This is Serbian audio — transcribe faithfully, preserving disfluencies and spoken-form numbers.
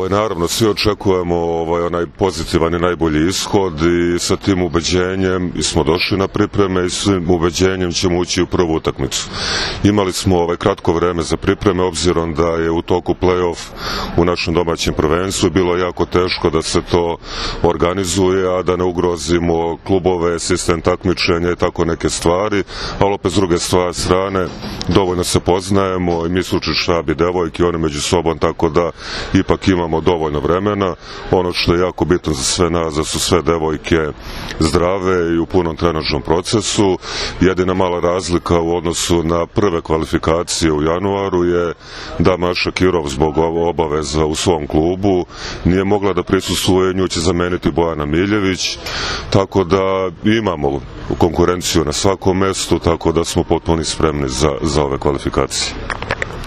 Ovaj, naravno, svi očekujemo ovaj, onaj pozitivan i najbolji ishod i sa tim ubeđenjem smo došli na pripreme i s tim ubeđenjem ćemo ući u prvu utakmicu. Imali smo ovaj, kratko vreme za pripreme, obzirom da je u toku play-off u našem domaćem prvenstvu bilo jako teško da se to organizuje, a da ne ugrozimo klubove, sistem takmičenja i tako neke stvari, ali opet s druge strane dovoljno se poznajemo i mi stručni štab i devojke, oni među sobom, tako da ipak imamo dovoljno vremena. Ono što je jako bitno za sve nas, da su sve devojke zdrave i u punom trenažnom procesu. Jedina mala razlika u odnosu na prve kvalifikacije u januaru je da Maša Kirov zbog obaveza u svom klubu nije mogla da prisustvuje, nju će zameniti Bojana Miljević, tako da imamo konkurenciju na svakom mestu, tako da smo potpuno spremni za, za ove kvalifikacije.